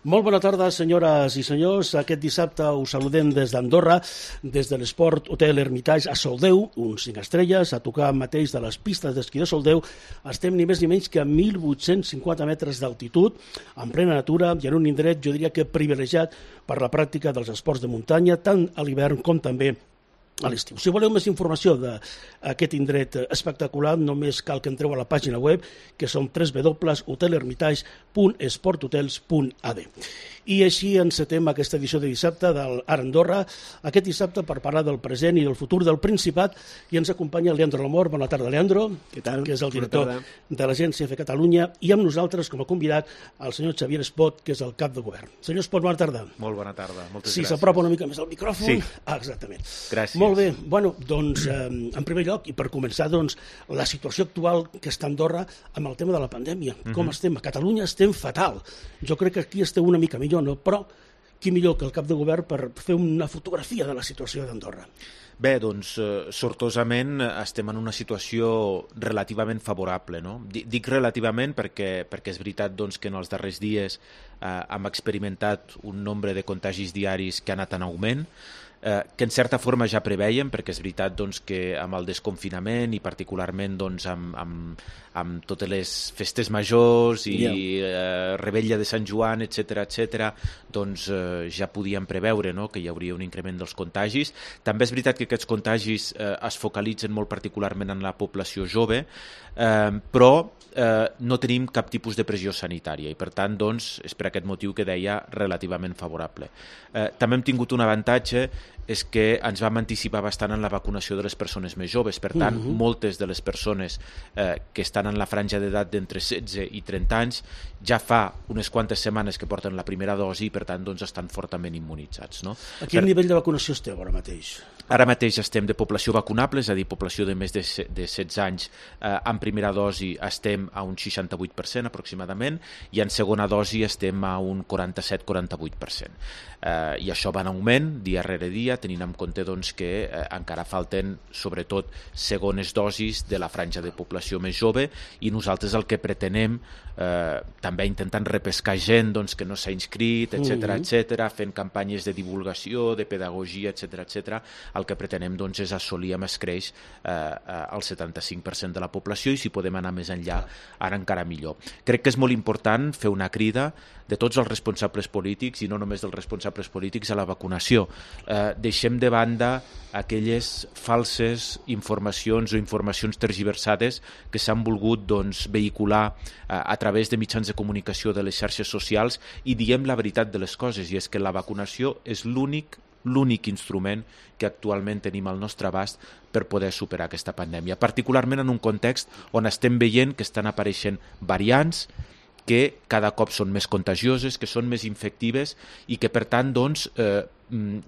Molt bona tarda, senyores i senyors. Aquest dissabte us saludem des d'Andorra, des de l'Esport Hotel Hermitage a Soldeu, uns 5 estrelles, a tocar mateix de les pistes d'esquí de Soldeu. Estem ni més ni menys que a 1.850 metres d'altitud, en plena natura i en un indret, jo diria que privilegiat per la pràctica dels esports de muntanya, tant a l'hivern com també a l'estiu. Si voleu més informació d'aquest indret espectacular, només cal que entreu a la pàgina web, que són www.hotelhermitage.esporthotels.ad. I així encetem aquesta edició de dissabte del Ara Andorra, aquest dissabte per parlar del present i del futur del Principat, i ens acompanya Leandro Lamor. Bona tarda, Leandro. Què tal? Que és el director de l'Agència EFE Catalunya, i amb nosaltres, com a convidat, el senyor Xavier Espot, que és el cap de govern. Senyor Espot, bona tarda. Molt bona tarda, moltes gràcies. Si s'apropa una mica més al micròfon. Sí. Exactament. Gràcies. Molt bé. Bueno, doncs, en primer lloc, i per començar, doncs, la situació actual que està a Andorra amb el tema de la pandèmia. Com estem? A Catalunya estem fatal. Jo crec que aquí esteu una mica millor, no? Però qui millor que el cap de govern per fer una fotografia de la situació d'Andorra? Bé, doncs, sortosament estem en una situació relativament favorable, no? Dic relativament perquè és veritat doncs, que en els darrers dies hem experimentat un nombre de contagis diaris que ha anat en augment, que en certa forma ja preveiem, perquè és veritat doncs, que amb el desconfinament i particularment doncs, amb totes les festes majors i Rebella de Sant Joan, etc., doncs ja podíem preveure, no?, que hi hauria un increment dels contagis. També és veritat que aquests contagis es focalitzen molt particularment en la població jove, però no tenim cap tipus de pressió sanitària i per tant doncs, és per aquest motiu que deia relativament favorable. També hem tingut un avantatge, és que ens vam anticipar bastant en la vacunació de les persones més joves. Per tant, moltes de les persones que estan en la franja d'edat d'entre 16 i 30 anys ja fa unes quantes setmanes que porten la primera dosi i per tant doncs, estan fortament immunitzats. No? A quin nivell de vacunació esteu ara mateix? Ara mateix estem de població vacunable, és a dir, població de més de 16 anys en primera dosi estem a un 68% aproximadament i en segona dosi estem a un 47-48%. I això va en augment dia rere dia, tenint en compte doncs, que encara falten sobretot segones dosis de la franja de població més jove i nosaltres el que pretenem, també intentant repescar gent doncs, que no s'ha inscrit, etc., fent campanyes de divulgació, de pedagogia, etc., el que pretenem doncs, és assolir amb escreix el 75% de la població i si podem anar més enllà, ara encara millor. Crec que és molt important fer una crida de tots els responsables polítics i no només dels responsables polítics a la vacunació. Deixem de banda aquelles falses informacions o informacions tergiversades que s'han volgut doncs, vehicular a través de mitjans de comunicació de les xarxes socials i diem la veritat de les coses, i és que la vacunació és l'únic instrument que actualment tenim al nostre abast per poder superar aquesta pandèmia, particularment en un context on estem veient que estan apareixent variants que cada cop són més contagioses, que són més infectives i que, per tant, doncs,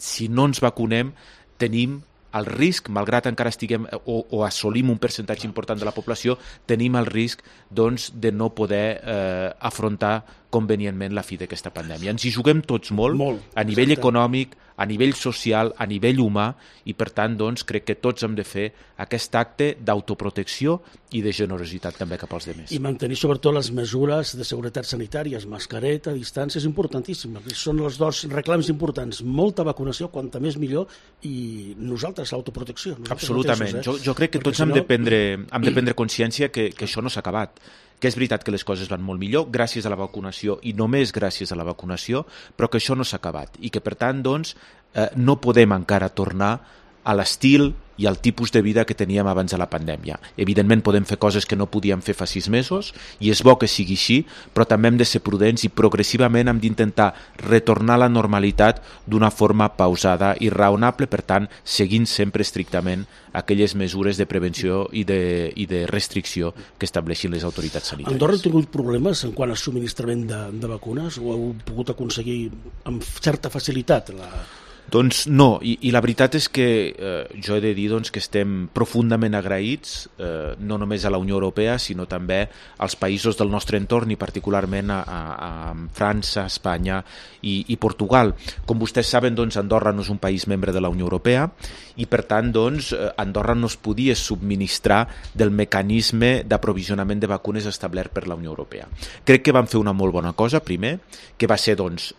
si no ens vacunem, tenim el risc, malgrat encara estiguem o assolim un percentatge important de la població, tenim el risc doncs, de no poder afrontar convenientment la fi d'aquesta pandèmia. Ens hi juguem tots molt a nivell econòmic, a nivell social, a nivell humà, i per tant doncs, crec que tots hem de fer aquest acte d'autoprotecció i de generositat també cap als demés. I mantenir sobretot les mesures de seguretat sanitàries, mascareta, distància, és importantíssim. Són els dos reclams importants. Molta vacunació, quanta més millor, i nosaltres l'autoprotecció. Absolutament. Jo crec que tots hem de prendre consciència que això no s'ha acabat, que és veritat que les coses van molt millor gràcies a la vacunació i només gràcies a la vacunació, però que això no s'ha acabat i que per tant doncs, no podem encara tornar a l'estil i al tipus de vida que teníem abans de la pandèmia. Evidentment podem fer coses que no podíem fer fa 6 mesos i és bo que sigui així, però també hem de ser prudents i progressivament hem d'intentar retornar a la normalitat d'una forma pausada i raonable, per tant, seguint sempre estrictament aquelles mesures de prevenció i de restricció que estableixin les autoritats sanitàries. Andorra ha tingut problemes en quant al subministrament de vacunes o heu pogut aconseguir amb certa facilitat Doncs no, i la veritat és que jo he de dir doncs, que estem profundament agraïts, no només a la Unió Europea, sinó també als països del nostre entorn i particularment a França, Espanya i Portugal. Com vostès saben, doncs, Andorra no és un país membre de la Unió Europea i per tant doncs, Andorra no es podia subministrar del mecanisme d'aprovisionament de vacunes establert per la Unió Europea. Crec que van fer una molt bona cosa, primer, que va ser doncs,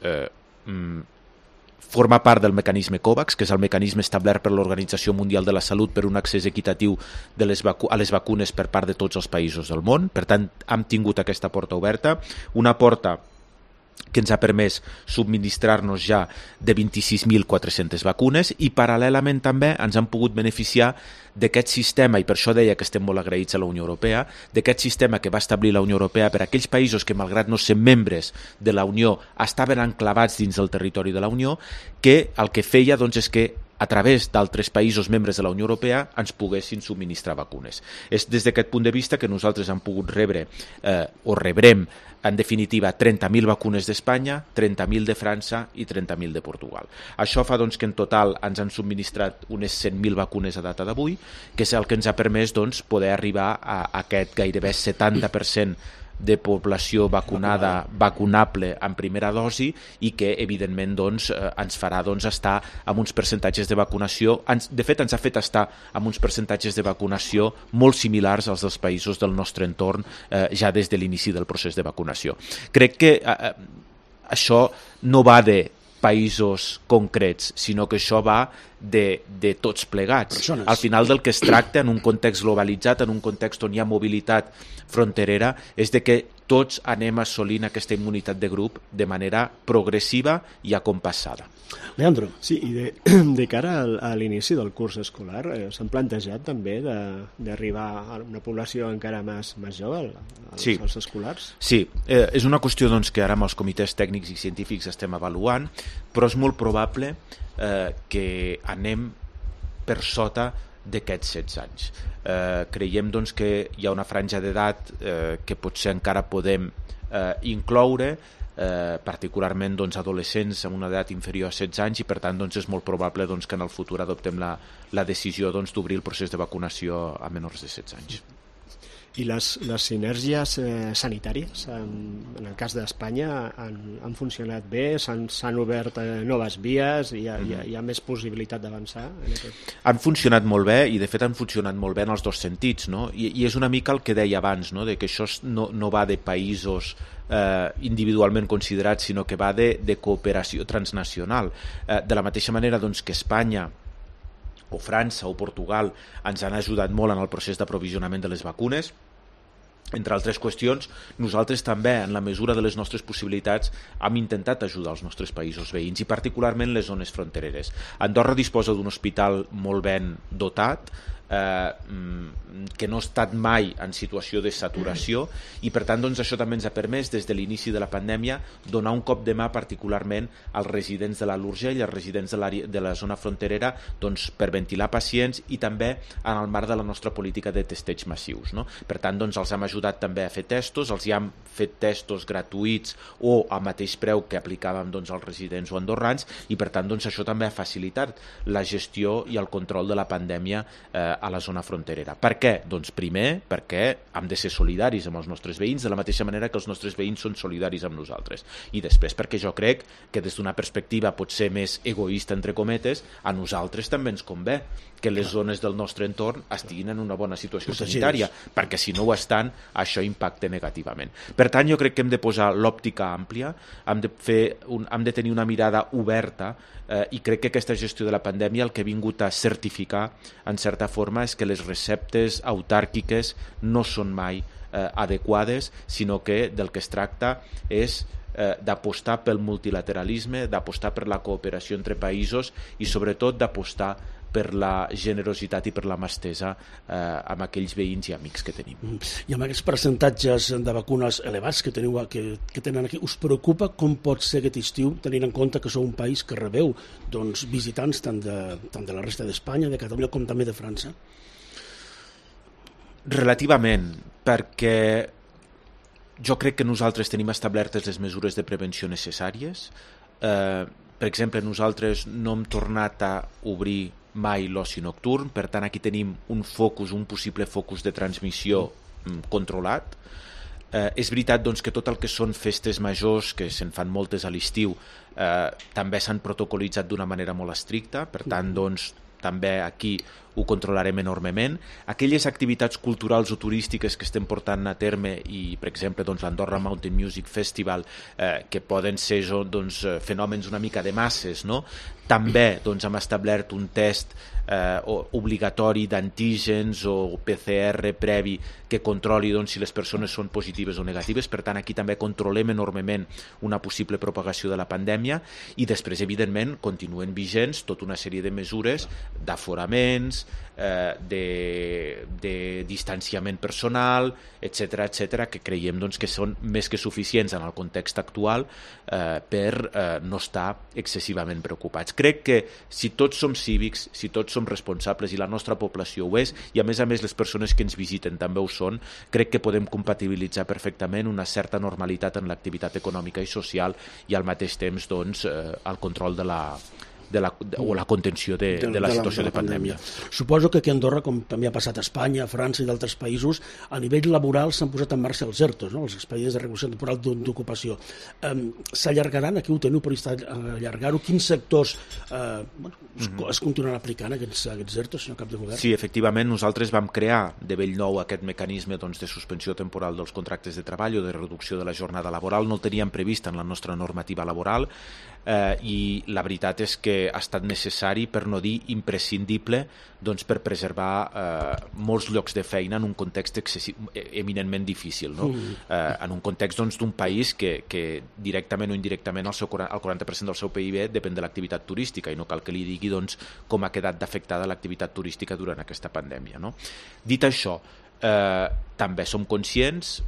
forma part del mecanisme COVAX, que és el mecanisme establert per l'Organització Mundial de la Salut per un accés equitatiu a les vacunes per part de tots els països del món. Per tant, hem tingut aquesta porta oberta, una porta que ens ha permès subministrar-nos ja de 26.400 vacunes i paral·lelament també ens han pogut beneficiar d'aquest sistema, i per això deia que estem molt agraïts a la Unió Europea, d'aquest sistema que va establir la Unió Europea per a aquells països que, malgrat no ser membres de la Unió, estaven enclavats dins del territori de la Unió, que el que feia doncs, és que a través d'altres països membres de la Unió Europea ens poguessin subministrar vacunes. És des d'aquest punt de vista que nosaltres hem pogut rebre o rebrem en definitiva 30.000 vacunes d'Espanya, 30.000 de França i 30.000 de Portugal. Això fa doncs, que en total ens han subministrat unes 100.000 vacunes a data d'avui, que és el que ens ha permès doncs, poder arribar a aquest gairebé 70% de població vacunable en primera dosi i que evidentment doncs, ens farà doncs, estar amb uns percentatges de vacunació, de fet ens ha fet estar amb uns percentatges de vacunació molt similars als dels països del nostre entorn ja des de l'inici del procés de vacunació. Crec que això no va de països concrets, sinó que això va de tots plegats. Persones. Al final del que es tracta, en un context globalitzat, en un context on hi ha mobilitat fronterera, és de que tots anem assolint aquesta immunitat de grup de manera progressiva i acompassada. Leandro. Sí, i de cara a l'inici del curs escolar, s'han plantejat també d'arribar a una població encara més jove, als escolars? Sí, és una qüestió doncs, que ara amb els comitès tècnics i científics estem avaluant, però és molt probable que anem per sota d'aquests 16 anys. Creiem doncs, que hi ha una franja d'edat que potser encara podem incloure, particularment doncs, adolescents amb una edat inferior a 16 anys i per tant doncs, és molt probable doncs, que en el futur adoptem la decisió doncs, d'obrir el procés de vacunació a menors de 16 anys. I les sinergies sanitàries, en el cas d'Espanya, han funcionat bé? S'han obert noves vies? Hi ha més possibilitat d'avançar? Han funcionat molt bé i de fet han funcionat molt bé en els dos sentits, no? I és una mica el que deia abans, no? De que això no va de països individualment considerats, sinó que va de cooperació transnacional. De la mateixa manera doncs, que Espanya o França o Portugal ens han ajudat molt en el procés d'aprovisionament de les vacunes. Entre altres qüestions, nosaltres també, en la mesura de les nostres possibilitats, hem intentat ajudar els nostres països veïns i particularment les zones frontereres. Andorra disposa d'un hospital molt ben dotat, que no ha estat mai en situació de saturació i per tant doncs, això també ens ha permès des de l'inici de la pandèmia donar un cop de mà particularment als residents de l'Alt Urgell, als residents de la zona fronterera doncs, per ventilar pacients i també en el marc de la nostra política de testeig massius, no? Per tant doncs, els hem ajudat també a fer testos, els hi hem fet testos gratuïts o a mateix preu que aplicàvem doncs, als residents o andorrans i per tant doncs, això també ha facilitat la gestió i el control de la pandèmia a la zona fronterera. Per què? Doncs primer perquè hem de ser solidaris amb els nostres veïns de la mateixa manera que els nostres veïns són solidaris amb nosaltres. I després perquè jo crec que des d'una perspectiva potser més egoista entre cometes, a nosaltres també ens convé que les zones del nostre entorn estiguin en una bona situació sanitària, perquè si no ho estan, això impacta negativament. Per tant, jo crec que hem de posar l'òptica àmplia, hem de tenir una mirada oberta i crec que aquesta gestió de la pandèmia el que ha vingut a certificar, en certa forma, és que les receptes autàrquiques no són mai adequades, sinó que del que es tracta és d'apostar pel multilateralisme, d'apostar per la cooperació entre països i sobretot d'apostar per la generositat i per la mà estesa amb aquells veïns i amics que tenim. I amb aquests percentatges de vacunes elevats que teniu que tenen aquí, us preocupa com pot ser aquest estiu, tenint en compte que sou un país que rebeu doncs, visitants tant de la resta d'Espanya, de Catalunya, com també de França? Relativament, perquè jo crec que nosaltres tenim establertes les mesures de prevenció necessàries, Per exemple, nosaltres no hem tornat a obrir mai l'oci nocturn, per tant aquí tenim un possible focus de transmissió controlat. És veritat doncs, que tot el que són festes majors, que se'n fan moltes a l'estiu, també s'han protocolitzat d'una manera molt estricta, per tant doncs, també aquí ho controlarem enormement. Aquelles activitats culturals o turístiques que estem portant a terme i, per exemple, doncs, l'Andorra Mountain Music Festival, que poden ser doncs, fenòmens una mica de masses, no? També doncs, hem establert un test obligatori d'antígens o PCR previ que controli doncs, si les persones són positives o negatives. Per tant, aquí també controlem enormement una possible propagació de la pandèmia i després, evidentment, continuen vigents tota una sèrie de mesures d'aforaments, de distanciament personal, etc, que creiem doncs, que són més que suficients en el context actual per no estar excessivament preocupats. Crec que si tots som cívics, si tots som responsables i la nostra població ho és, i a més les persones que ens visiten també ho són, crec que podem compatibilitzar perfectament una certa normalitat en l'activitat econòmica i social i al mateix temps doncs, el control o la contenció de la situació de pandèmia. Suposo que aquí a Andorra, com també ha passat a Espanya, a França i d'altres països, a nivell laboral s'han posat en marxa els ERTOs, no? Els expedients de regulació temporal d'ocupació. S'allargaran, aquí ho teniu previst allargar-ho? Quins sectors es continuaran aplicant aquests ERTOs, senyor cap de govern? Sí, efectivament, nosaltres vam crear de bell nou aquest mecanisme doncs, de suspensió temporal dels contractes de treball o de reducció de la jornada laboral. No el teníem previst en la nostra normativa laboral i la veritat és que ha estat necessari, per no dir imprescindible, doncs, per preservar molts llocs de feina en un context eminentment difícil, no? En un context doncs, d'un país que directament o indirectament el 40% del seu PIB depèn de l'activitat turística i no cal que li digui doncs, com ha quedat d'afectada l'activitat turística durant aquesta pandèmia, no? Dit això, també som conscients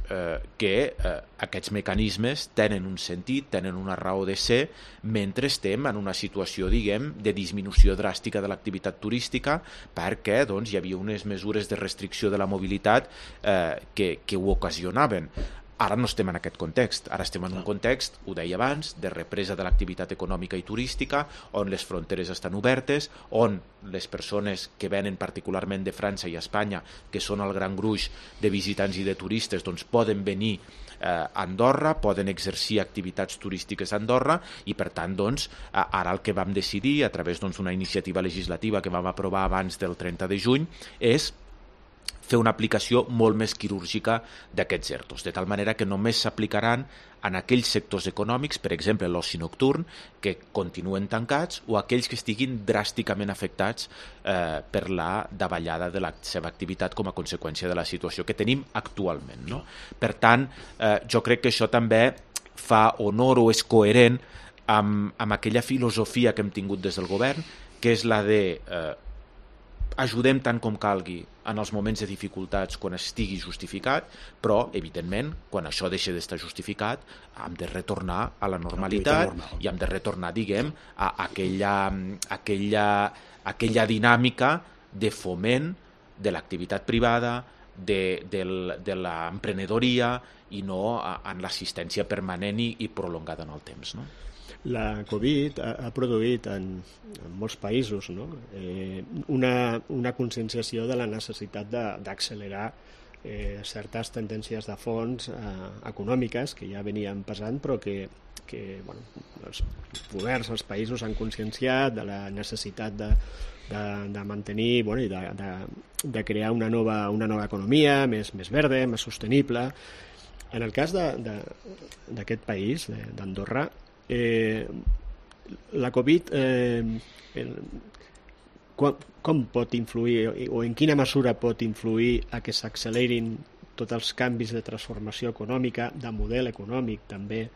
que aquests mecanismes tenen un sentit, tenen una raó de ser mentre estem en una situació, diguem, de disminució dràstica de l'activitat turística perquè doncs, hi havia unes mesures de restricció de la mobilitat que ho ocasionaven. Ara no estem en aquest context, ara estem en un context, ho deia abans, de represa de l'activitat econòmica i turística, on les fronteres estan obertes, on les persones que venen particularment de França i Espanya, que són el gran gruix de visitants i de turistes, doncs poden venir a Andorra, poden exercir activitats turístiques a Andorra i per tant doncs, ara el que vam decidir a través d'una iniciativa legislativa que vam aprovar abans del 30 de juny és fer una aplicació molt més quirúrgica d'aquests ERTOs, de tal manera que només s'aplicaran en aquells sectors econòmics, per exemple l'oci nocturn, que continuen tancats o aquells que estiguin dràsticament afectats per la davallada de la seva activitat com a conseqüència de la situació que tenim actualment, no? Per tant, jo crec que això també fa honor o és coherent amb aquella filosofia que hem tingut des del govern, que és la de ajudem tant com calgui en els moments de dificultats quan estigui justificat, però, evidentment, quan això deixa d'estar justificat, hem de retornar a la normalitat i hem de retornar, diguem, a aquella dinàmica de foment de l'activitat privada, de l'emprenedoria i no en l'assistència permanent i prolongada en el temps, no? La Covid ha produït en molts països, no? Una conscienciació de la necessitat d'accelerar certes tendències de fons econòmiques que ja venien pesant però que els governs, els països han conscienciat de la necessitat de mantenir i de crear una nova economia més verda, més sostenible. En el cas d'aquest país, d'Andorra, la Covid com pot influir o en quina mesura pot influir a que s'accelerin tots els canvis de transformació econòmica, de model econòmic també?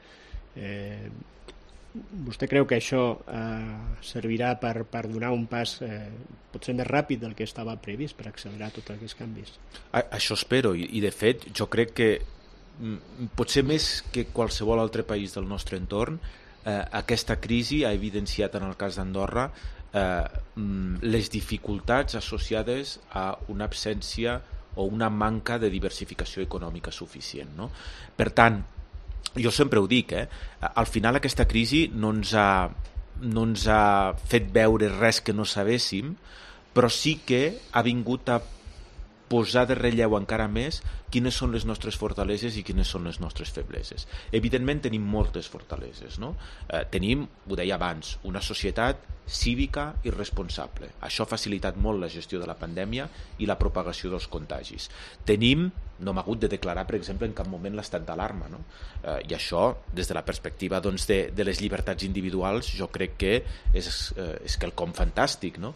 Vostè creu que això servirà per donar un pas potser més ràpid del que estava previst per accelerar tots aquests canvis? Això espero i de fet jo crec que potser més que qualsevol altre país del nostre entorn, aquesta crisi ha evidenciat en el cas d'Andorra les dificultats associades a una absència o una manca de diversificació econòmica suficient, no? Per tant, jo sempre ho dic, al final aquesta crisi no ens ha no ens ha fet veure res que no sabéssim, però sí que ha vingut a posar de relleu encara més quines són les nostres fortaleses i quines són les nostres febleses. Evidentment tenim moltes fortaleses, no? Tenim, ho deia abans, una societat cívica i responsable. Això ha facilitat molt la gestió de la pandèmia i la propagació dels contagis. Tenim, no hem hagut de declarar, per exemple, en cap moment l'estat d'alarma, no? I això, des de la perspectiva doncs, de les llibertats individuals, jo crec que és quelcom fantàstic, no?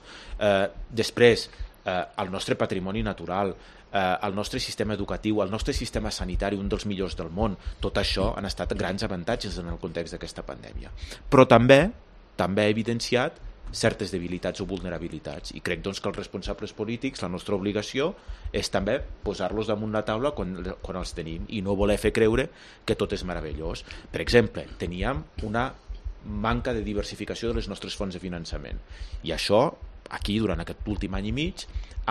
Després, el nostre patrimoni natural, el nostre sistema educatiu, el nostre sistema sanitari, un dels millors del món, tot això han estat grans avantatges en el context d'aquesta pandèmia. Però també ha evidenciat certes debilitats o vulnerabilitats, i crec doncs, que els responsables polítics, la nostra obligació és també posar-los damunt la taula quan els tenim i no voler fer creure que tot és meravellós. Per exemple, teníem una manca de diversificació de les nostres fonts de finançament, i això aquí, durant aquest últim any i mig,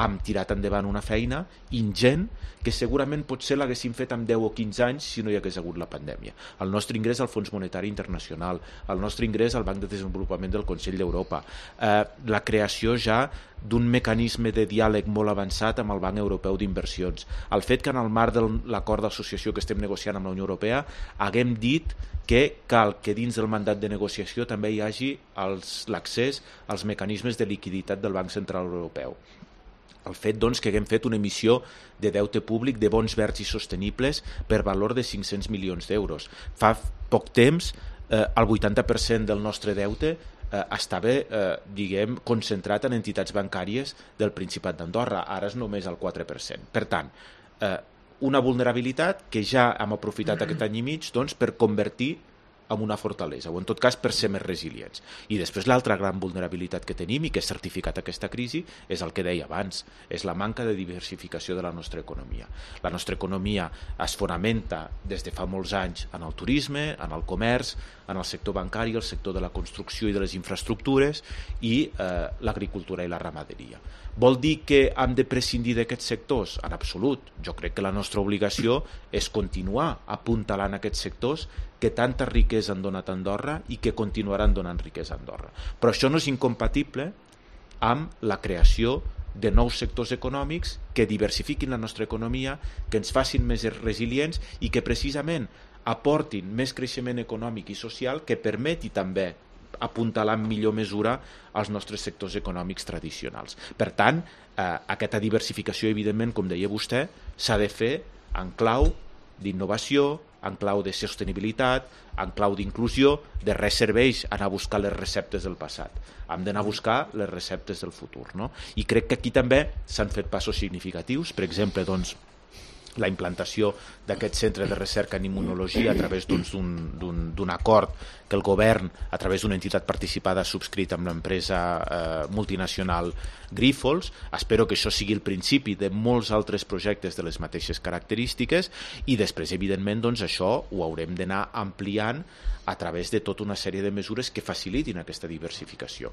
hem tirat endavant una feina ingent que segurament potser l'haguéssim fet amb 10 o 15 anys si no hi hagués hagut la pandèmia. El nostre ingrés al Fons Monetari Internacional, el nostre ingrés al Banc de Desenvolupament del Consell d'Europa, la creació ja d'un mecanisme de diàleg molt avançat amb el Banc Europeu d'Inversions, el fet que en el marc de l'acord d'associació que estem negociant amb la Unió Europea haguem dit que cal que dins del mandat de negociació també hi hagi l'accés als mecanismes de liquiditat del Banc Central Europeu. El fet doncs, que haguem fet una emissió de deute públic de bons verds i sostenibles per valor de 500 milions d'euros. Fa poc temps el 80% del nostre deute estava concentrat en entitats bancàries del Principat d'Andorra, ara és només el 4%. Per tant, una vulnerabilitat que ja hem aprofitat aquest any i mig doncs, per convertir en una fortalesa, o en tot cas per ser més resilients. I després l'altra gran vulnerabilitat que tenim i que ha certificat aquesta crisi és el que deia abans, és la manca de diversificació de la nostra economia. La nostra economia es fonamenta des de fa molts anys en el turisme, en el comerç, en el sector bancari, el sector de la construcció i de les infraestructures i l'agricultura i la ramaderia. Vol dir que hem de prescindir d'aquests sectors? En absolut. Jo crec que la nostra obligació és continuar apuntalant aquests sectors que tanta riquesa han donat a Andorra i que continuaran donant riquesa a Andorra. Però això no és incompatible amb la creació de nous sectors econòmics que diversifiquin la nostra economia, que ens facin més resilients i que precisament aportin més creixement econòmic i social que permeti també apuntalar en millor mesura als nostres sectors econòmics tradicionals. Per tant, aquesta diversificació, evidentment, com deia vostè, s'ha de fer en clau d'innovació, en clau de sostenibilitat, en clau d'inclusió, de res serveix anar a buscar les receptes del passat. Hem d'anar a buscar les receptes del futur, no? I crec que aquí també s'han fet passos significatius, per exemple, doncs, la implantació d'aquest centre de recerca en immunologia a través d'un acord que el govern, a través d'una entitat participada, ha subscrit amb l'empresa multinacional Grifols. Espero que això sigui el principi de molts altres projectes de les mateixes característiques i després, evidentment, doncs, això ho haurem d'anar ampliant a través de tota una sèrie de mesures que facilitin aquesta diversificació.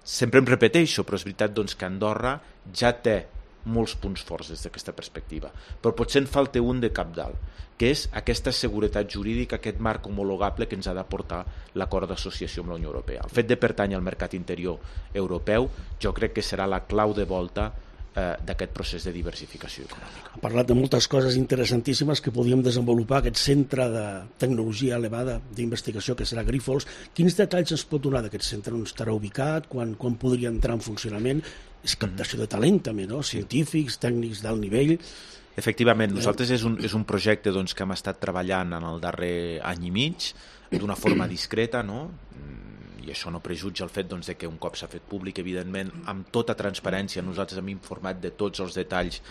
Sempre em repeteixo, però és veritat doncs, que Andorra ja té molts punts forts des d'aquesta perspectiva, però potser en falta un de cabdal, que és aquesta seguretat jurídica, aquest marc homologable que ens ha d'aportar l'acord d'associació amb la Unió Europea. El fet de pertànyer al mercat interior europeu jo crec que serà la clau de volta d'aquest procés de diversificació econòmica. Ha parlat de moltes coses interessantíssimes que podíem desenvolupar, aquest centre de tecnologia elevada d'investigació que serà Grifols. Quins detalls ens pot donar d'aquest centre? On estarà ubicat? Quan podria entrar en funcionament? És captació de talent també, no? Científics, tècnics d'alt nivell. Efectivament, nosaltres és un projecte doncs, que hem estat treballant en el darrer any i mig d'una forma discreta, no? I això no prejutja el fet doncs, que un cop s'ha fet públic, evidentment, amb tota transparència, nosaltres hem informat de tots els detalls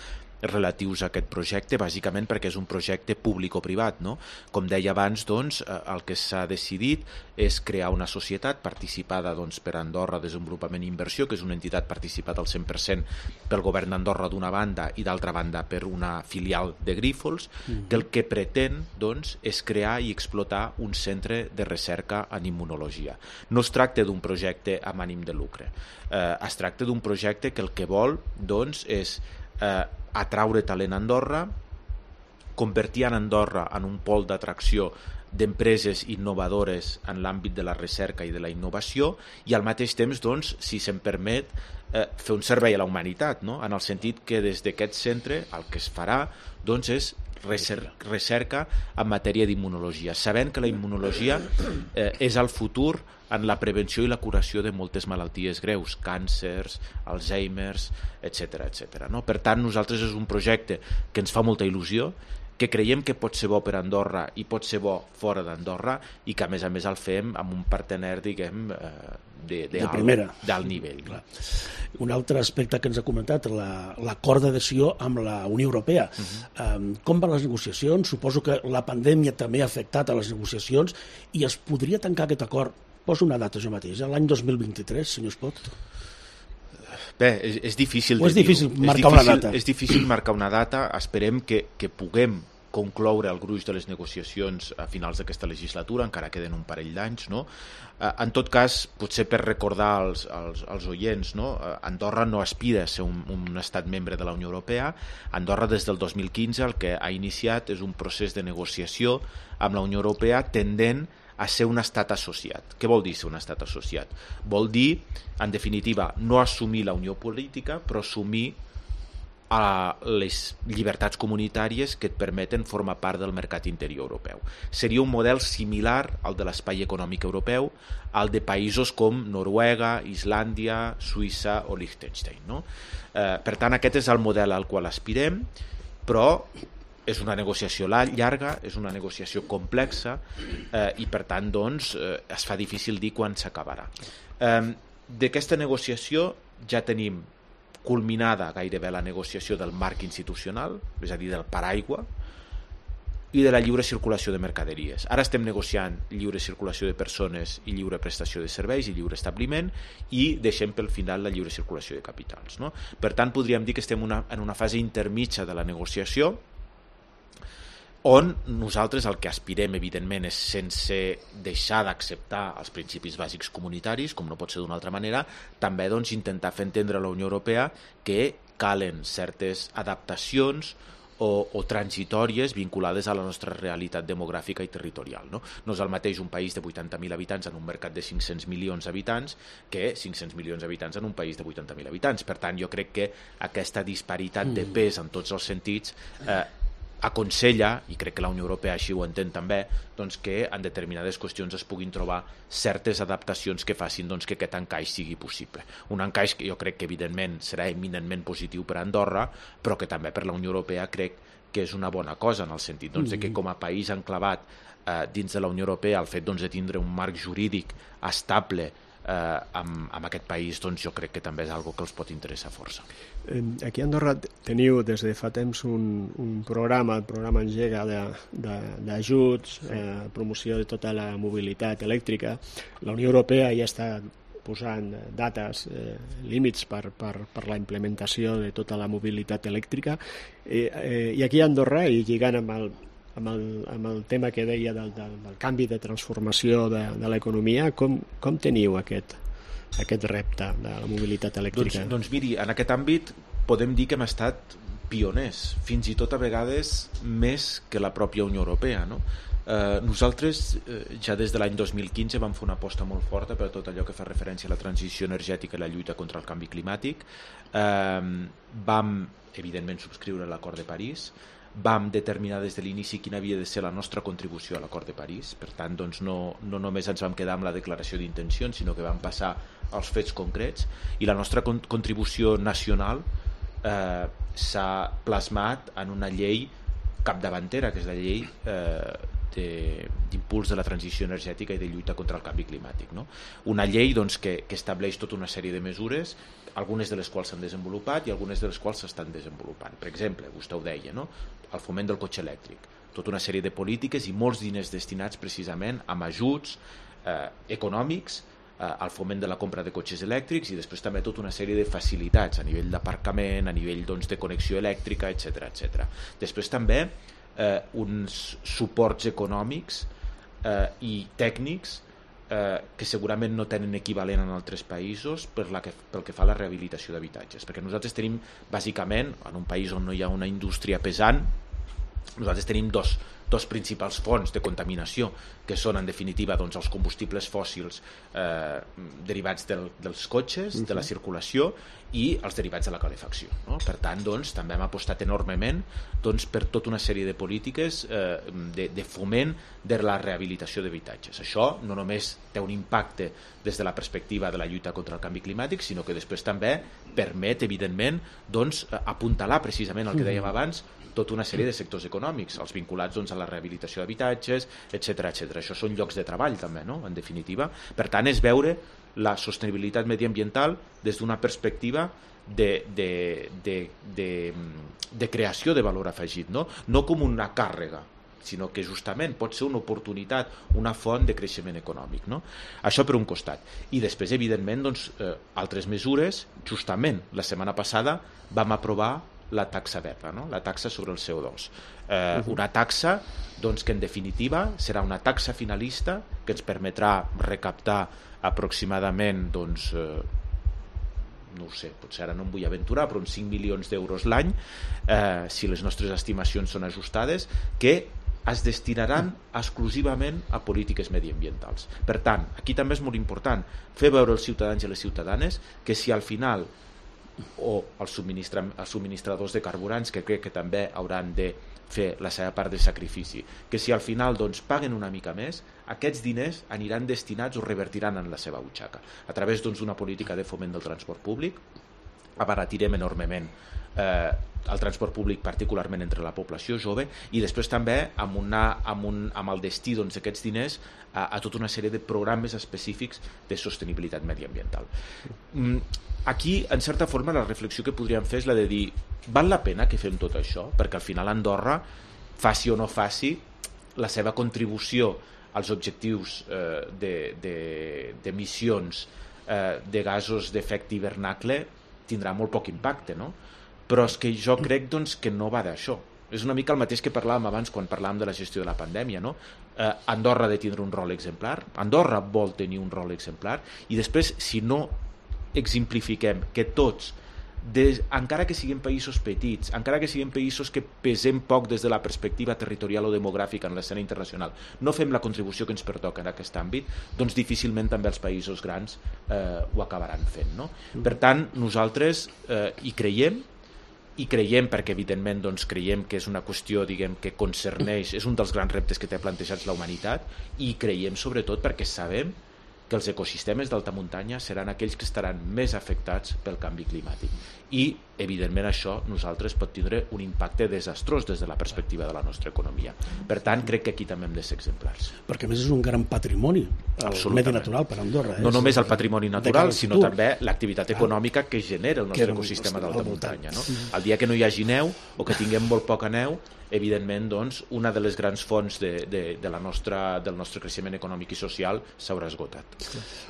relatius a aquest projecte, bàsicament perquè és un projecte públic-privat, no? Com deia abans, doncs, el que s'ha decidit és crear una societat participada doncs, per Andorra Desenvolupament i Inversió, que és una entitat participada al 100% pel govern d'Andorra d'una banda i d'altra banda per una filial de Grifols, que el que pretén doncs, és crear i explotar un centre de recerca en immunologia. No es tracta d'un projecte amb ànim de lucre, es tracta d'un projecte que el que vol doncs, és atraure talent a Andorra, convertir en Andorra en un pol d'atracció d'empreses innovadores en l'àmbit de la recerca i de la innovació, i al mateix temps, doncs, si se'm permet, fer un servei a la humanitat, no? En el sentit que des d'aquest centre el que es farà, doncs, és recerca en matèria d'immunologia, sabent que la immunologia és el futur en la prevenció i la curació de moltes malalties greus, càncers, Alzheimer's, etc. No? Per tant, nosaltres és un projecte que ens fa molta il·lusió, que creiem que pot ser bo per Andorra i pot ser bo fora d'Andorra, i que a més el fem amb un partener, diguem, de d'alt nivell. Clar. Un altre aspecte que ens ha comentat, l'acord d'adhesió amb la Unió Europea. Com van les negociacions? Suposo que la pandèmia també ha afectat a les negociacions, i es podria tancar aquest acord, poso una data jo mateix, l'any 2023, senyor Espot? Bé, és difícil marcar una data. És difícil marcar una data. Esperem que puguem concloure el gruix de les negociacions a finals d'aquesta legislatura, encara queden un parell d'anys, no? En tot cas, potser per recordar als oients, no? Andorra no aspira a ser un estat membre de la Unió Europea. Andorra des del 2015 el que ha iniciat és un procés de negociació amb la Unió Europea tendent a ser un estat associat. Què vol dir ser un estat associat? Vol dir, en definitiva, no assumir la unió política, però assumir les llibertats comunitàries que et permeten formar part del mercat interior europeu. Seria un model similar al de l'espai econòmic europeu, al de països com Noruega, Islàndia, Suïssa o Liechtenstein, no? Per tant, aquest és el model al qual aspirem, però és una negociació llarga, és una negociació complexa, i per tant, doncs, es fa difícil dir quan s'acabarà. D'aquesta negociació ja tenim culminada gairebé la negociació del marc institucional, és a dir, del paraigua, i de la lliure circulació de mercaderies. Ara estem negociant lliure circulació de persones i lliure prestació de serveis i lliure establiment, i deixem pel final la lliure circulació de capitals, no? Per tant, podríem dir que estem en una fase intermitja de la negociació, on nosaltres el que aspirem, evidentment, és sense deixar d'acceptar els principis bàsics comunitaris, com no pot ser d'una altra manera, també, doncs, intentar fer entendre a la Unió Europea que calen certes adaptacions o transitòries vinculades a la nostra realitat demogràfica i territorial, no? No és el mateix un país de 80.000 habitants en un mercat de 500 milions d'habitants que 500 milions d'habitants en un país de 80.000 habitants. Per tant, jo crec que aquesta disparitat de pes en tots els sentits aconsella, i crec que la Unió Europea així ho entén també, doncs que en determinades qüestions es puguin trobar certes adaptacions que facin, doncs, que aquest encaix sigui possible. Un encaix que jo crec que evidentment serà eminentment positiu per a Andorra, però que també per la Unió Europea crec que és una bona cosa, en el sentit, doncs, de que com a país enclavat dins de la Unió Europea, el fet, doncs, de tindre un marc jurídic estable amb aquest país, doncs, jo crec que també és algo que els pot interessar força. Aquí a Andorra teniu des de fa temps un programa, el programa Engega, d'ajuts, promoció de tota la mobilitat elèctrica. La Unió Europea ja està posant dates, límits per la implementació de tota la mobilitat elèctrica, i aquí a Andorra, i lligant amb el tema que deia del canvi de transformació de l'economia, com teniu aquest repte de la mobilitat elèctrica? Doncs miri, en aquest àmbit podem dir que hem estat pioners, fins i tot a vegades més que la pròpia Unió Europea, no? Nosaltres ja des de l'any 2015 vam fer una aposta molt forta per tot allò que fa referència a la transició energètica i la lluita contra el canvi climàtic. Vam, evidentment, subscriure l'Acord de París, vam determinar des de l'inici quina havia de ser la nostra contribució a l'Acord de París. Per tant, doncs, no només ens vam quedar amb la declaració d'intencions, sinó que vam passar als fets concrets, i la nostra contribució nacional s'ha plasmat en una llei capdavantera, que és la llei d'impuls de la transició energètica i de lluita contra el canvi climàtic, no? Una llei, doncs, que estableix tota una sèrie de mesures, algunes de les quals s'han desenvolupat i algunes de les quals s'estan desenvolupant. Per exemple, vostè ho deia, no? El foment del cotxe elèctric, tota una sèrie de polítiques i molts diners destinats precisament amb ajuts econòmics al foment de la compra de cotxes elèctrics, i després també tota una sèrie de facilitats a nivell d'aparcament, a nivell, doncs, de connexió elèctrica, etc. Després també uns suports econòmics i tècnics que segurament no tenen equivalent en altres països pel que fa a la rehabilitació d'habitatges, perquè nosaltres tenim, bàsicament, en un país on no hi ha una indústria pesant, nosaltres tenim dos dos principals fonts de contaminació, que són en definitiva doncs, els combustibles fòssils derivats dels cotxes, de la circulació, i els derivats de la calefacció, no? Per tant, doncs, també hem apostat enormement doncs, per tota una sèrie de polítiques de foment de la rehabilitació d'habitatges. Això no només té un impacte des de la perspectiva de la lluita contra el canvi climàtic, sinó que després també permet, evidentment, doncs, apuntalar precisament el que dèiem abans, tota una sèrie de sectors econòmics, els vinculats doncs, a la rehabilitació d'habitatges, etc. Això són llocs de treball també, no? En definitiva. Per tant, és veure la sostenibilitat mediambiental des d'una perspectiva de creació de valor afegit, no? No com una càrrega, sinó que justament pot ser una oportunitat, una font de creixement econòmic, no? Això per un costat. I després, evidentment, doncs, altres mesures. Justament la setmana passada vam aprovar la taxa verda, no? La taxa sobre el CO2. Una taxa doncs, que en definitiva serà una taxa finalista que ens permetrà recaptar aproximadament doncs, no ho sé, potser ara no em vull aventurar, però uns 5 milions d'euros l'any, si les nostres estimacions són ajustades, que es destinaran exclusivament a polítiques mediambientals. Per tant, aquí també és molt important fer veure als ciutadans i les ciutadanes que si al final, o els subministradors de carburants, que crec que també hauran de fer la seva part de sacrifici, que si al final doncs, paguen una mica més, aquests diners aniran destinats o revertiran en la seva butxaca a través d'una política de foment del transport públic. Abaratirem enormement el transport públic, particularment entre la població jove, i després també amb el destí d'aquests diners a tota una sèrie de programes específics de sostenibilitat mediambiental. Aquí, en certa forma, la reflexió que podríem fer és la de dir, val la pena que fem tot això? Perquè al final Andorra, faci o no faci, la seva contribució als objectius d'emissions de gasos d'efecte hivernacle tindrà molt poc impacte, no? Però és que jo crec doncs, que no va d'això. És una mica el mateix que parlàvem abans quan parlàvem de la gestió de la pandèmia, no? Andorra ha de tindre un rol exemplar, Andorra vol tenir un rol exemplar, i després, si no exemplifiquem que tots, encara que siguin països petits, encara que siguin països que pesem poc des de la perspectiva territorial o demogràfica en l'escena internacional, no fem la contribució que ens pertoca en aquest àmbit, doncs difícilment també els països grans ho acabaran fent, no? Per tant, nosaltres hi creiem perquè evidentment doncs, creiem que és una qüestió diguem, que concerneix, és un dels grans reptes que té plantejats la humanitat, i creiem sobretot perquè sabem que els ecosistemes d'alta muntanya seran aquells que estaran més afectats pel canvi climàtic. I, evidentment, això nosaltres pot tindre un impacte desastrós des de la perspectiva de la nostra economia. Per tant, crec que aquí també hem de ser exemplars. Perquè, a més, és un gran patrimoni, el medi natural per Andorra. No només el patrimoni natural, sinó també l'activitat econòmica que genera el nostre ecosistema d'alta muntanya. No? El dia que no hi hagi neu, o que tinguem molt poca neu, evidentment, doncs, una de les grans fonts del nostre creixement econòmic i social s'haurà esgotat.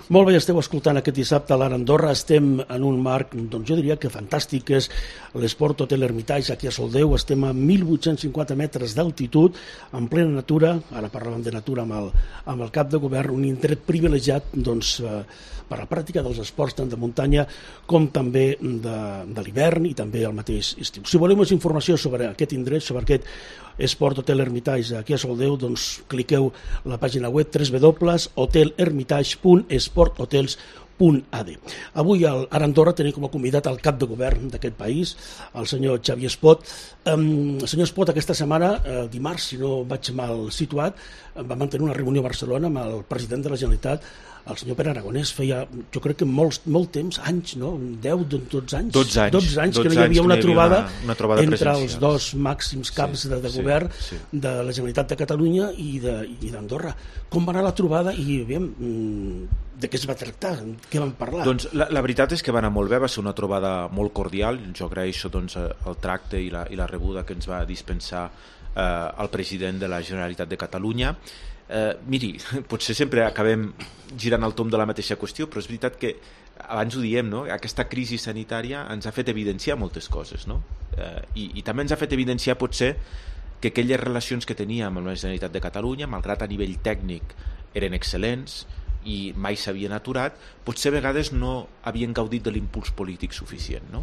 Molt bé, esteu escoltant aquest dissabte a l'Ara Andorra. Estem en un marc, doncs jo diria que fantàstic, que és l'Esport Hotel Hermitage aquí a Soldeu. Estem a 1.850 metres d'altitud, en plena natura. Ara parlàvem de natura amb el cap de govern, un indret privilegiat doncs, per la pràctica dels esports tant de muntanya com també de l'hivern i també el mateix estiu. Si voleu més informació sobre aquest indret, sobre aquest Esport Hotel Hermitage aquí a Soldeu, doncs cliqueu la pàgina web www.hotelhermitage.esporthotels.ad. Avui a Andorra tenim com a convidat el cap de govern d'aquest país, el senyor Xavier Espot. Senyor Espot, aquesta setmana, dimarts, si no vaig mal situat, va mantenir una reunió a Barcelona amb el president de la Generalitat, el senyor Pere Aragonès. Feia, jo crec que molt temps, anys, no? 10-12 anys. 12 anys que no hi havia una trobada entre els dos màxims caps de govern de la Generalitat de Catalunya i d'Andorra. Com va anar la trobada i de què es va tractar? Què van parlar? Doncs la veritat és que va anar molt bé, va ser una trobada molt cordial. Jo agraeixo doncs, el tracte i la rebuda que ens va dispensar el president de la Generalitat de Catalunya. Miri, potser sempre acabem girant el tomb de la mateixa qüestió, però és veritat que abans ho diem, no? Aquesta crisi sanitària ens ha fet evidenciar moltes coses, no? I també ens ha fet evidenciar potser que aquelles relacions que teníem amb la Generalitat de Catalunya, malgrat a nivell tècnic eren excel·lents i mai s'havien aturat, potser a vegades no havien gaudit de l'impuls polític suficient, no?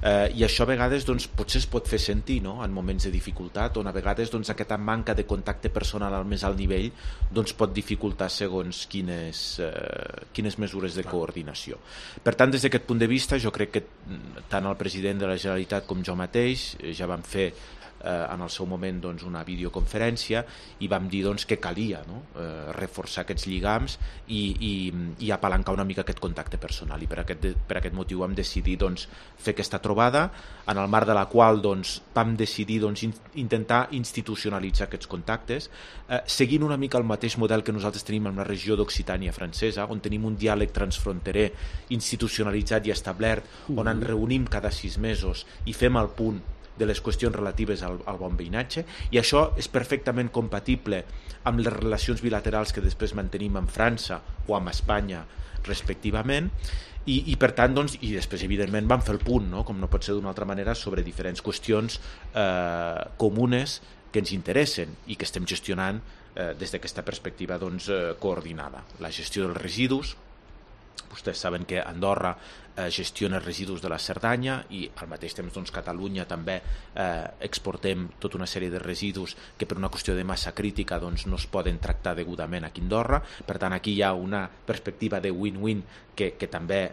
I això a vegades doncs, potser es pot fer sentir, no? En moments de dificultat, on a vegades doncs, aquesta manca de contacte personal al més alt nivell doncs, pot dificultar segons quines mesures de coordinació. Per tant, des d'aquest punt de vista, jo crec que tant el president de la Generalitat com jo mateix ja vam fer en el seu moment doncs, una videoconferència i vam dir doncs, que calia, no? Reforçar aquests lligams i apalancar una mica aquest contacte personal, i per aquest motiu vam decidir doncs, fer aquesta trobada, en el marc de la qual doncs, vam decidir doncs, intentar institucionalitzar aquests contactes, seguint una mica el mateix model que nosaltres tenim en la regió d'Occitània francesa, on tenim un diàleg transfronterer institucionalitzat i establert, on ens reunim cada 6 mesos i fem el punt de les qüestions relatives al bon veïnatge, i això és perfectament compatible amb les relacions bilaterals que després mantenim amb França o amb Espanya respectivament, i per tant, doncs, i després evidentment vam fer el punt, no? Com no pot ser d'una altra manera, sobre diferents qüestions comunes que ens interessen i que estem gestionant des d'aquesta perspectiva doncs, coordinada. La gestió dels residus, vostès saben que Andorra gestiona residus de la Cerdanya i al mateix temps doncs, Catalunya també exportem tota una sèrie de residus que per una qüestió de massa crítica doncs, no es poden tractar degudament aquí a Andorra. Per tant, aquí hi ha una perspectiva de win-win que també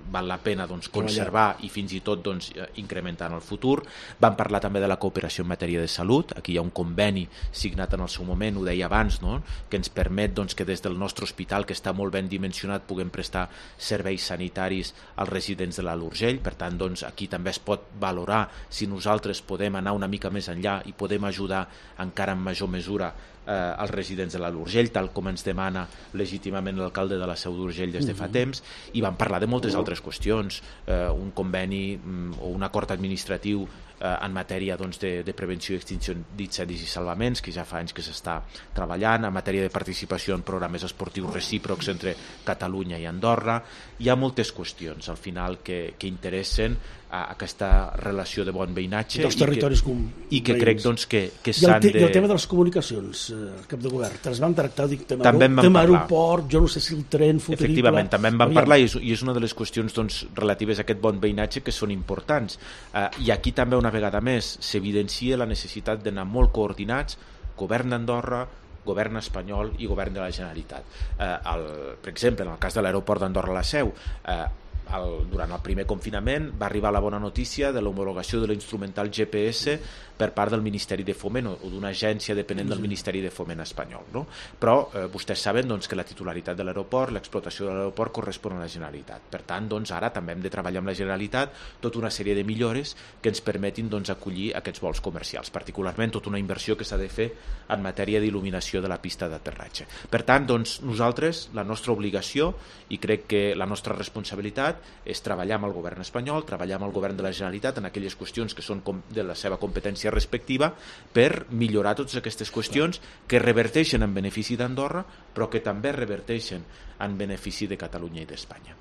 val la pena doncs, conservar i fins i tot doncs, incrementar en el futur. Vam parlar també de la cooperació en matèria de salut. Aquí hi ha un conveni signat en el seu moment, ho deia abans, no? Que ens permet doncs, que des del nostre hospital, que està molt ben dimensionat, puguem prestar serveis sanitaris als residents de l'Alt Urgell. Per tant, doncs, aquí també es pot valorar si nosaltres podem anar una mica més enllà i podem ajudar encara en major mesura als residents de l'Alt Urgell, tal com ens demana legítimament l'alcalde de la Seu d'Urgell des de fa temps, i vam parlar de moltes altres qüestions, un conveni o un acord administratiu en matèria doncs, de prevenció i extinció d'incendis i salvaments, que ja fa anys que s'està treballant, en matèria de participació en programes esportius recíprocs entre Catalunya i Andorra. Hi ha moltes qüestions al final que interessen a aquesta relació de bon veïnatge dels territoris i que crec doncs, que s'han de... I el tema de les comunicacions, cap de govern, ens vam tractar, dic, tema aeroport, jo no sé si el tren futurible... Efectivament, també en vam parlar i és una de les qüestions doncs, relatives a aquest bon veïnatge que són importants. I aquí també una vegada més s'evidencia la necessitat d'anar molt coordinats, govern d'Andorra, govern espanyol i govern de la Generalitat. Per exemple, en el cas de l'aeroport d'Andorra-La Seu, durant el primer confinament va arribar la bona notícia de l'homologació de l'instrumental GPS per part del Ministeri de Foment o d'una agència dependent del Ministeri de Foment espanyol, no? Però vostès saben doncs, que la titularitat de l'aeroport, l'explotació de l'aeroport correspon a la Generalitat. Per tant, doncs, ara també hem de treballar amb la Generalitat tota una sèrie de millores que ens permetin doncs, acollir aquests vols comercials, particularment tota una inversió que s'ha de fer en matèria d'il·luminació de la pista d'aterratge. Per tant, doncs, nosaltres, la nostra obligació, i crec que la nostra responsabilitat, és treballar amb el govern espanyol, treballar amb el govern de la Generalitat en aquelles qüestions que són de la seva competència respectiva per millorar totes aquestes qüestions que reverteixen en benefici d'Andorra però que també reverteixen en benefici de Catalunya i d'Espanya.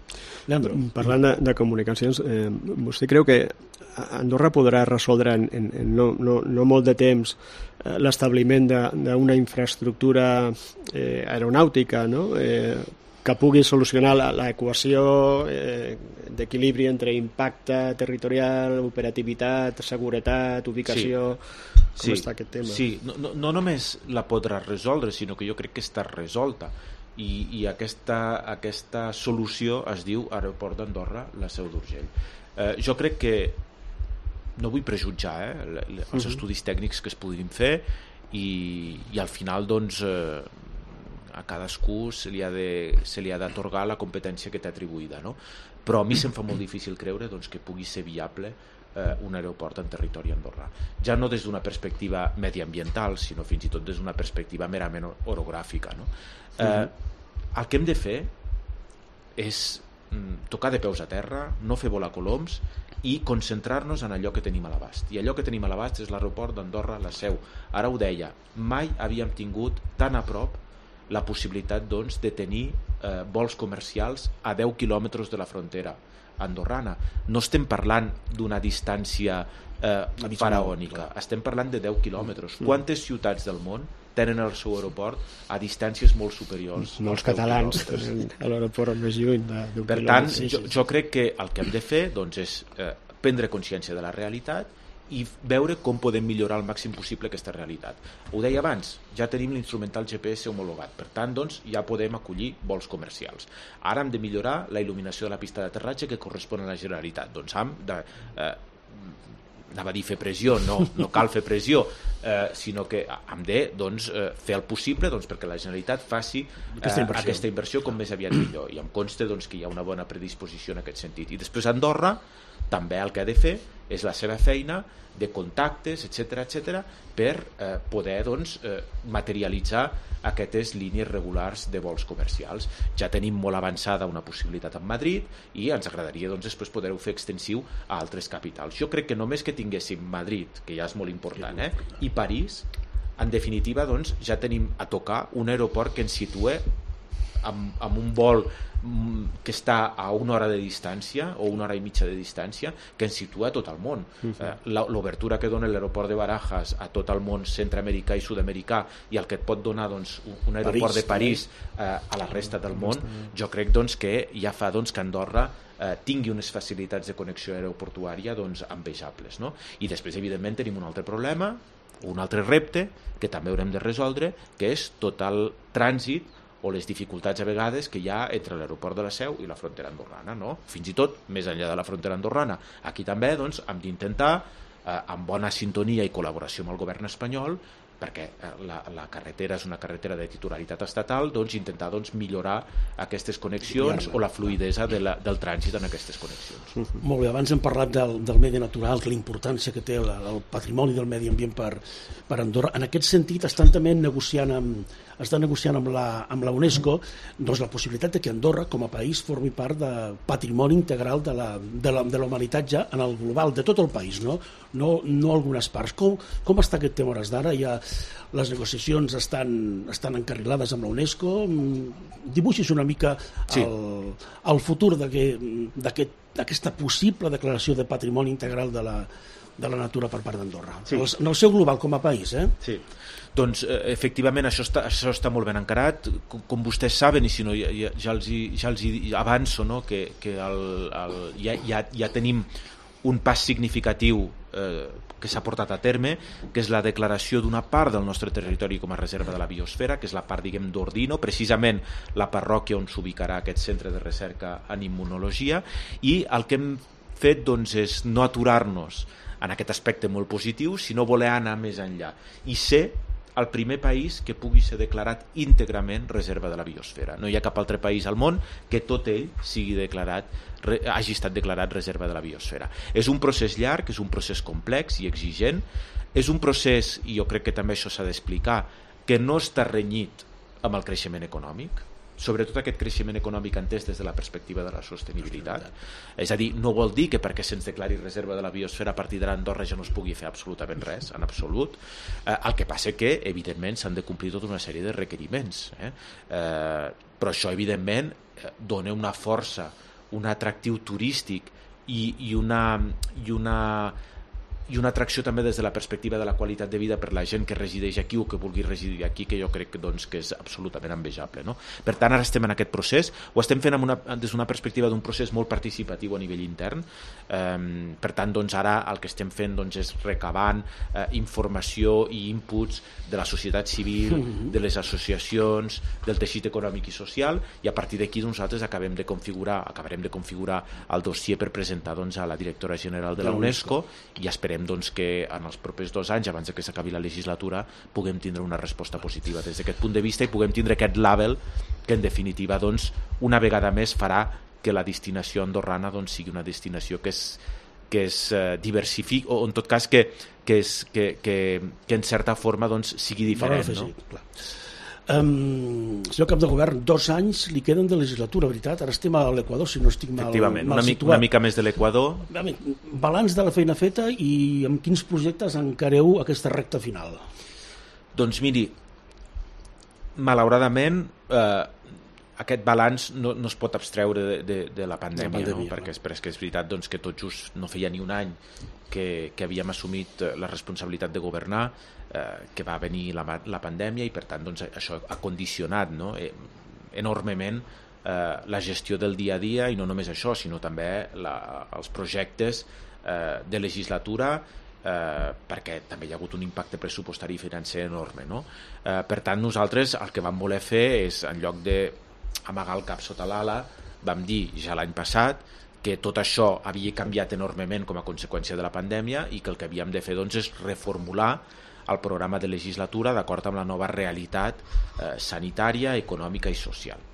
Leandro, parlant de comunicacions, vostè creu que Andorra podrà resoldre en no molt de temps l'establiment d'una infraestructura aeronàutica, no? Que pugui solucionar l'equació d'equilibri entre impacte territorial, operativitat, seguretat, ubicació... Com està aquest tema? Sí, no només la podrà resoldre, sinó que jo crec que està resolta. I aquesta solució es diu Aeroport d'Andorra, la Seu d'Urgell. Jo crec que, no vull prejutjar els estudis tècnics que es puguin fer i al final doncs... a cadascú se li ha d'atorgar la competència que té atribuïda, no? Però a mi se'm fa molt difícil creure doncs, que pugui ser viable un aeroport en territori andorrà. Ja no des d'una perspectiva mediambiental, sinó fins i tot des d'una perspectiva merament orogràfica, no? El que hem de fer és tocar de peus a terra, no fer volar coloms i concentrar-nos en allò que tenim a l'abast. I allò que tenim a l'abast és l'aeroport d'Andorra-La Seu. Ara ho deia, mai havíem tingut tan a prop la possibilitat doncs, de tenir vols comercials a 10 quilòmetres de la frontera andorrana. No estem parlant d'una distància faraònica, estem parlant de 10 quilòmetres. Quantes ciutats del món tenen el seu aeroport a distàncies molt superiors. Molts catalans tenen l'aeroport més lluny d'un Per tant, jo crec que el que hem de fer doncs, és prendre consciència de la realitat i veure com podem millorar al màxim possible aquesta realitat. Ho deia abans, ja tenim l'instrumental GPS homologat, per tant, doncs, ja podem acollir vols comercials. Ara hem de millorar la il·luminació de la pista d'aterratge que correspon a la Generalitat. Doncs hem de... anava a dir fer pressió, no cal fer pressió, sinó que hem de fer el possible perquè la Generalitat faci aquesta inversió com més aviat millor, i em consta que hi ha una bona predisposició en aquest sentit. I després Andorra també el que ha de fer és la seva feina de contactes, etc per poder materialitzar aquestes línies regulars de vols comercials. Ja tenim molt avançada una possibilitat en Madrid i ens agradaria després poder-ho fer extensiu a altres capitals. Jo crec que només que tinguéssim Madrid, que ja és molt important, i París, en definitiva ja tenim a tocar un aeroport que ens situa amb un vol que està a una hora de distància o una hora i mitja de distància, que ens situa a tot el món. L'obertura que dona l'aeroport de Barajas a tot el món centreamericà i sud-americà i el que et pot donar un aeroport de París a la resta del món, jo crec que ja fa que Andorra tingui unes facilitats de connexió aeroportuària envejables. I després, evidentment, tenim un altre problema, un altre repte que també haurem de resoldre, que és tot el trànsit o les dificultats a vegades que hi ha entre l'aeroport de la Seu i la frontera andorrana, fins i tot més enllà de la frontera andorrana. Aquí també hem d'intentar, amb bona sintonia i col·laboració amb el govern espanyol, perquè la carretera és una carretera de titularitat estatal, intentar millorar aquestes connexions o la fluïdesa del trànsit en aquestes connexions. Molt bé, abans hem parlat del medi natural, que la importància que té el patrimoni del medi ambient per Andorra. En aquest sentit estan també negociant amb la UNESCO la possibilitat de que Andorra com a país formi part de patrimoni integral de la humanitat ja en el global, de tot el país, no algunes parts. Com està aquest tema hores d'ara? Les negociacions estan encarrilades amb la UNESCO. Dibuixis una mica el futur d'aquesta possible declaració de patrimoni integral de la natura per part d'Andorra, en el seu global com a país. Sí. Doncs efectivament això està molt ben encarat, com vostès saben, i si no ja els avanço que ja tenim un pas significatiu que s'ha portat a terme, que és la declaració d'una part del nostre territori com a reserva de la biosfera, que és la part, diguem, d'Ordino, precisament la parròquia on s'ubicarà aquest centre de recerca en immunologia, i el que hem fet és no aturar-nos en aquest aspecte molt positiu, sinó voler anar més enllà i ser el primer país que pugui ser declarat íntegrament reserva de la biosfera. No hi ha cap altre país al món que tot ell hagi estat declarat reserva de la biosfera. És un procés llarg, és un procés complex i exigent, és un procés, i jo crec que també això s'ha d'explicar, que no està renyit amb el creixement econòmic, sobretot aquest creixement econòmic entès des de la perspectiva de la sostenibilitat. És a dir, no vol dir que perquè se'ns declari reserva de la biosfera a partir d'ara a Andorra ja no es pugui fer absolutament res, en absolut. El que passa que, evidentment, s'han de complir tota una sèrie de requeriments. Però això, evidentment, dona una força, un atractiu turístic i una atracció també des de la perspectiva de la qualitat de vida per la gent que resideix aquí o que vulgui residir aquí, que jo crec que és absolutament envejable. Per tant, ara estem en aquest procés, ho estem fent des d'una perspectiva d'un procés molt participatiu a nivell intern. Per tant, ara el que estem fent és recabant informació i inputs de la societat civil, de les associacions, del teixit econòmic i social, i a partir d'aquí nosaltres acabarem de configurar el dossier per presentar a la directora general de la UNESCO, i esperem que en els propers 2 anys, abans que s'acabi la legislatura, puguem tindre una resposta positiva des d'aquest punt de vista i puguem tindre aquest label que en definitiva una vegada més farà que la destinació andorrana sigui una destinació que es diversifiqui, o en tot cas que en certa forma sigui diferent. Senyor cap de govern, 2 anys li queden de legislatura, veritat? Ara estem a l'Equador, si no estic mal situat. Una mica més de l'Equador. Balanç de la feina feta i amb quins projectes encareu aquesta recta final? Doncs miri, malauradament aquest balanç no es pot abstreure de la pandèmia, no? Perquè és veritat doncs, que tot just no feia ni un any que havíem assumit la responsabilitat de governar, que va venir la pandèmia, i per tant doncs, això ha condicionat, no? Enormement la gestió del dia a dia, i no només això, sinó també els projectes de legislatura, perquè també hi ha hagut un impacte pressupostari i financer enorme, no? Per tant, nosaltres el que vam voler fer és, en lloc d'amagar el cap sota l'ala, vam dir ja l'any passat que tot això havia canviat enormement com a conseqüència de la pandèmia i que el que havíem de fer doncs, és reformular el programa de legislatura d'acord amb la nova realitat sanitària, econòmica i social.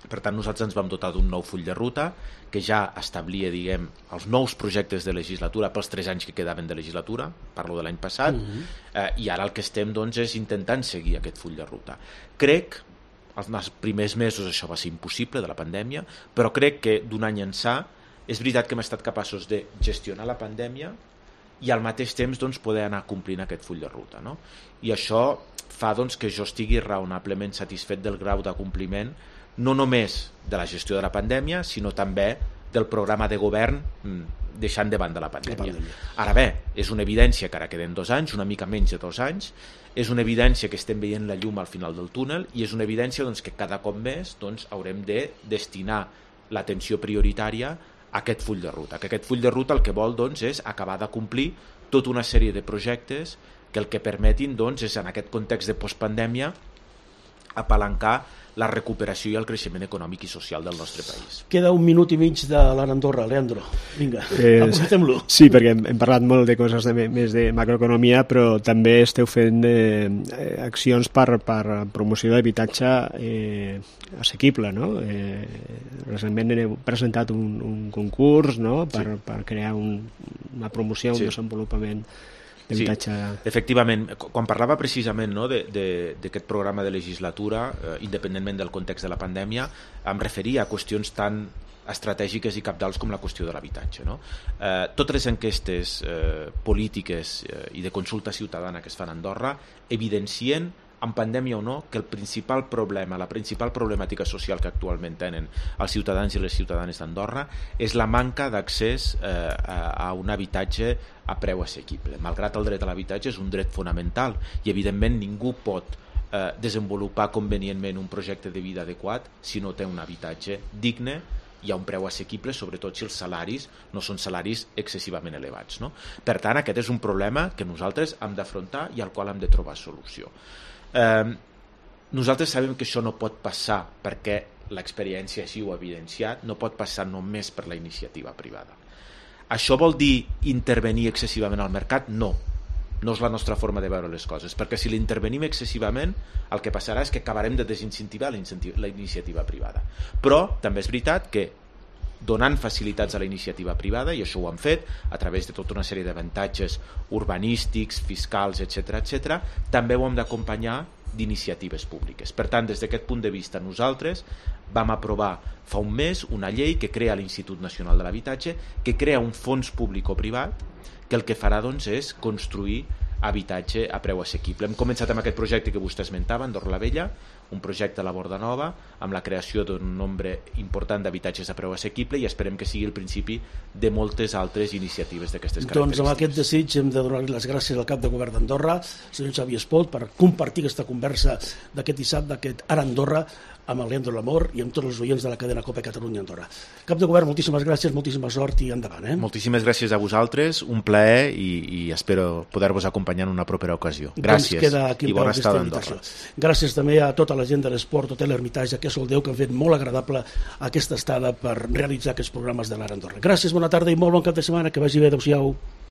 Per tant, nosaltres ens vam dotar d'un nou full de ruta que ja establia, diguem, els nous projectes de legislatura pels 3 anys que quedaven de legislatura, parlo de l'any passat, i ara el que estem doncs, és intentant seguir aquest full de ruta. Crec, els primers mesos això va ser impossible de la pandèmia, però crec que d'un any ençà és veritat que hem estat capaços de gestionar la pandèmia i al mateix temps doncs, poder anar complint aquest full de ruta, no? I això fa doncs, que jo estigui raonablement satisfet del grau de compliment, no només de la gestió de la pandèmia, sinó també del programa de govern deixant de banda la pandèmia. Ara bé, és una evidència que ara queden 2 anys, una mica menys de 2 anys, és una evidència que estem veient la llum al final del túnel i és una evidència doncs, que cada cop més doncs, haurem de destinar l'atenció prioritària a aquest full de ruta. Que aquest full de ruta el que vol doncs, és acabar de complir tota una sèrie de projectes que el que permetin doncs, és en aquest context de postpandèmia apalancar la recuperació i el creixement econòmic i social del nostre país. Queda 1 minut i mig de l'Ara Andorra. Leandro, vinga, aprofitem-lo. Sí, perquè hem parlat molt de coses més de macroeconomia, però també esteu fent accions per promoció d'habitatge assequible, no? Recentment heu presentat un concurs, no? per crear una promoció, un desenvolupament. Sí, efectivament, quan parlava precisament no, d'aquest programa de legislatura, independentment del context de la pandèmia, em referia a qüestions tan estratègiques i cabdals com la qüestió de l'habitatge. No? Totes les enquestes polítiques i de consulta ciutadana que es fan a Andorra evidencien, amb pandèmia o no, que el principal problema, la principal problemàtica social que actualment tenen els ciutadans i les ciutadanes d'Andorra és la manca d'accés a un habitatge a preu assequible. Malgrat el dret a l'habitatge és un dret fonamental i evidentment ningú pot desenvolupar convenientment un projecte de vida adequat si no té un habitatge digne i a un preu assequible, sobretot si els salaris no són salaris excessivament elevats. No? Per tant, aquest és un problema que nosaltres hem d'afrontar i al qual hem de trobar solució. Nosaltres sabem que això no pot passar perquè l'experiència així ho ha evidenciat, no pot passar només per la iniciativa privada. Això vol dir intervenir excessivament al mercat? No és la nostra forma de veure les coses, perquè si l'intervenim excessivament el que passarà és que acabarem de desincentivar la iniciativa privada. Però també és veritat que donant facilitats a la iniciativa privada, i això ho han fet a través de tota una sèrie d'avantatges urbanístics, fiscals, etc., també ho hem d'acompanyar d'iniciatives públiques. Per tant, des d'aquest punt de vista, nosaltres vam aprovar fa un mes una llei que crea l'Institut Nacional de l'Habitatge, que crea un fons públic o privat que el que farà doncs, és construir habitatge a preu assequible. Hem començat amb aquest projecte que vostè esmentava, Andorra la Vella, un projecte a la Borda Nova, amb la creació d'un nombre important d'habitatges a preu assequible i esperem que sigui el principi de moltes altres iniciatives d'aquestes característiques. Doncs amb aquest desig hem de donar les gràcies al cap de govern d'Andorra, senyor Xavier Espot, per compartir aquesta conversa d'aquest dissabte, d'aquest Ara Andorra, amb el Leandro Lamor i amb tots els oients de la cadena COPE Catalunya Andorra. Cap de govern, moltíssimes gràcies, moltíssima sort i endavant. Moltíssimes gràcies a vosaltres, un plaer i espero poder-vos acompanyar en una propera ocasió. Gràcies i bona estada a Andorra. Gràcies també a tota la gent de l'Esport Hotel Hermitage aquí a Soldeu, que han fet molt agradable aquesta estada per realitzar aquests programes de l'Ara Andorra. Gràcies, bona tarda i molt bon cap de setmana, que vagi bé, adéu-siau.